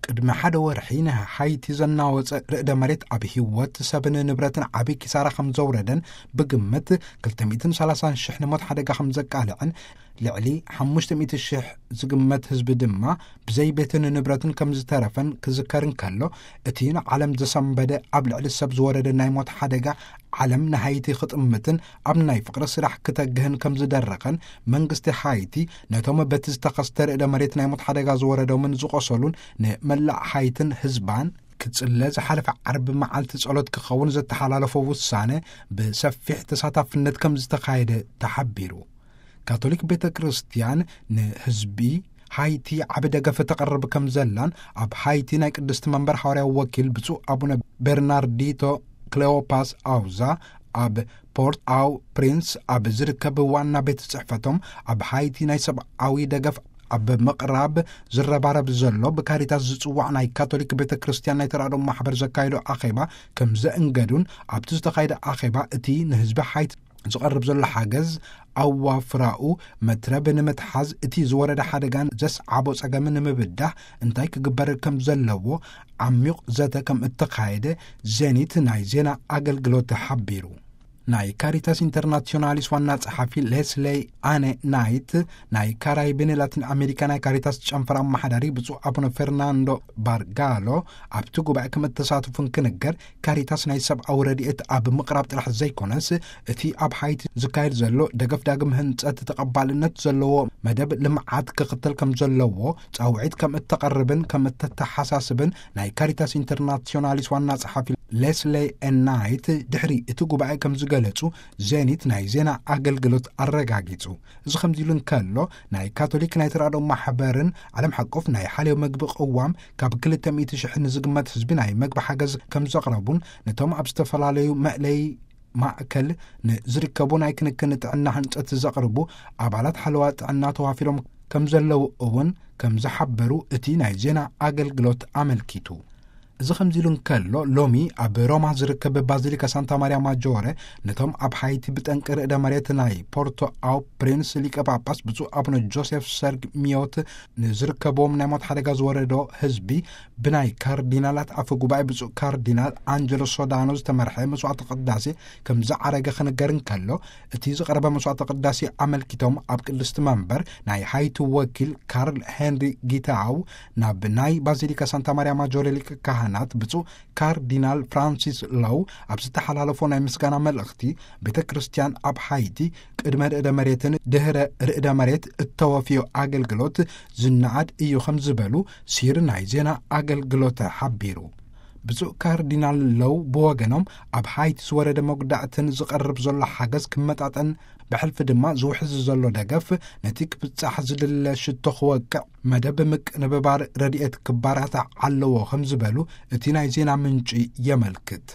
ቅድሚ ሓደ ወርሒ ንሃይቲ ዘናወጸ ርእደ መሬት ኣብ ህይወት ሰብን ንብረትን ዓቢ ኪሳራ ከም ዘውረደን ብግምት ክልተ ሚእትን ሰላሳን ሽሕ ንሞት ሓደጋ ከም ዘቃልዕን ልዕሊ ሓሙሽተ ሚእቲ ሽሕ ዝግመት ህዝቢ ድማ ብዘይ ቤትን ንብረትን ከም ዝተረፈን ክዝከር እንከሎ፣ እቲ ንዓለም ዘሰንበደ ኣብ ልዕሊ ሰብ ዝወረደ ናይ ሞት ሓደጋ ዓለም ንሃይቲ ክጥምትን ኣብ ናይ ፍቕሪ ስራሕ ክተግህን ከም ዝደረኸን መንግስቲ ሃይቲ ነቶም በቲ ዝተኸስተ ርእደ መሬት ናይ ሞት ሓደጋ ዝወረዶምን ዝቆሰሉን ንመላእ ሃይትን ህዝባን ክጽለ ዝሓለፈ ዓርቢ መዓልቲ ጸሎት ክኸውን ዘተሓላለፎ ውሳነ ብሰፊሕ ተሳታፍነት ከም ዝተኻየደ ተሓቢሩ። ካቶሊክ ቤተ ክርስቲያን ንህዝቢ ሃይቲ ዓቢ ደገፍ ተቐርብ ከም ዘላን ኣብ ሃይቲ ናይ ቅድስቲ መንበር ሓዋርያዊ ወኪል ብፁዕ ኣቡነ ቤርናርዲቶ ክሌዎፓስ ኣውዛ ኣብ ፖርት ኣው ፕሪንስ ኣብ ዝርከብ ዋና ቤት ጽሕፈቶም ኣብ ሃይቲ ናይ ሰብኣዊ ደገፍ ኣብ ምቕራብ ዝረባረብ ዘሎ ብካሪታስ ዝጽዋዕ ናይ ካቶሊክ ቤተ ክርስቲያን ናይ ተራድኦ ማሕበር ዘካየዶ ኣኼባ ከም ዘእንገዱን ኣብቲ ዝተኻየደ ኣኼባ እቲ ንህዝቢ ሃይቲ ዝቐርብ ዘሎ ሓገዝ ኣዋፍራኡ መትረብ ንምትሓዝ እቲ ዝወረደ ሓደጋን ዘስዓቦ ጸገምን ንምብዳህ እንታይ ክግበር ከም ዘለዎ ዓሚቕ ዘተ ከም እተኻየደ ዜኒት ናይ ዜና ኣገልግሎት ሓቢሩ። ናይ ካሪታስ ኢንተርናሲዮናሊስ ዋና ጸሓፊ ሌስሌይ ኣነ ናይት፣ ናይ ካራይብን ላቲን ኣሜሪካ ናይ ካሪታስ ጨንፈር ኣመሓዳሪ ብፁዕ ኣቡነ ፈርናንዶ ባርጋሎ ኣብቲ ጉባኤ ከም እተሳትፉን ክንገር፣ ካሪታስ ናይ ሰብኣዊ ረድኤት ኣብ ምቕራብ ጥራሕ ዘይኮነስ፣ እቲ ኣብ ሃይቲ ዝካየድ ዘሎ ደገፍ ዳግም ህንጸት ተቐባልነት ዘለዎ መደብ ልምዓት ክኽተል ከም ዘለዎ ጻውዒት ከም እተቐርብን ከም እተተሓሳስብን ናይ ካሪታስ ኢንተርናሲዮናሊስ ዋና ጸሓፊ ሌስሌ ኤናይት ድሕሪ እቲ ጉባኤ ከም ዝገለጹ ዜኒት ናይ ዜና ኣገልግሎት ኣረጋጊጹ። እዚ ከምዚ ኢሉ እንከሎ፣ ናይ ካቶሊክ ናይ ተራድኦ ማሕበርን ዓለም ሓቆፍ ናይ ሓልዮ መግቢ ቅዋም ካብ ክልተ ሚእቲ ሽሕ ንዝግመት ህዝቢ ናይ መግቢ ሓገዝ ከም ዘቕረቡን ነቶም ኣብ ዝተፈላለዩ መእለይ ማእከል ንዝርከቡ ናይ ክንክን ጥዕና ህንጸት ዘቕርቡ ኣባላት ሓለዋ ጥዕና ተዋፊሮም ከም ዘለዉ እውን ከም ዝሓበሩ እቲ ናይ ዜና ኣገልግሎት ኣመልኪቱ። እዚ ከምዚ ኢሉ እንከሎ፣ ሎሚ ኣብ ሮማ ዝርከብ ባዚሊካ ሳንታ ማርያ ማጆረ ነቶም ኣብ ሃይቲ ብጠንቂ ርእደ መሬት ናይ ፖርቶ ኣው ፕሪንስ ሊቀ ጳጳስ ብፁዕ ኣቡነ ጆሴፍ ሰርግ ሚዮት ንዝርከብዎም ናይ ሞት ሓደጋ ዝወረዶ ህዝቢ ብናይ ካርዲናላት ኣፈ ጉባኤ ብፁዕ ካርዲናል ኣንጀሎ ሶዳኖ ዝተመርሐ መስዋዕተ ቅዳሴ ከም ዝዓረገ ክንገር እንከሎ፣ እቲ ዝቐረበ መስዋዕተ ቅዳሴ ኣመልኪቶም ኣብ ቅድስቲ መንበር ናይ ሃይቲ ወኪል ካርል ሄንሪ ጊታው ናብ ናይ ባዚሊካ ሳንታ ማርያ ማጆረ ሊቀ ካህናት ብፁዕ ካርዲናል ፍራንሲስ ሎው ኣብ ዝተሓላለፎ ናይ ምስጋና መልእኽቲ፣ ቤተ ክርስቲያን ኣብ ሃይቲ ቅድመ ርእደ መሬትን ድህረ ርእደ መሬት እተወፍዮ ኣገልግሎት ዝነኣድ እዩ ከም ዝበሉ ሲር ናይ ዜና ኣገልግሎት ሓቢሩ። ብፁዕ ካርዲናል ሎው ብወገኖም፣ ኣብ ሃይቲ ዝወረደ መጉዳእትን ዝቐርብ ዘሎ ሓገዝ ክመጣጠን ብሕልፊ ድማ ዝውሕዝ ዘሎ ደገፍ ነቲ ክብጻሕ ዝድለ ሽቶ ክወቅዕ መደብ ምቅንብባር ረድኤት ክባራታዕ ኣለዎ ከም ዝበሉ እቲ ናይ ዜና ምንጪ የመልክት።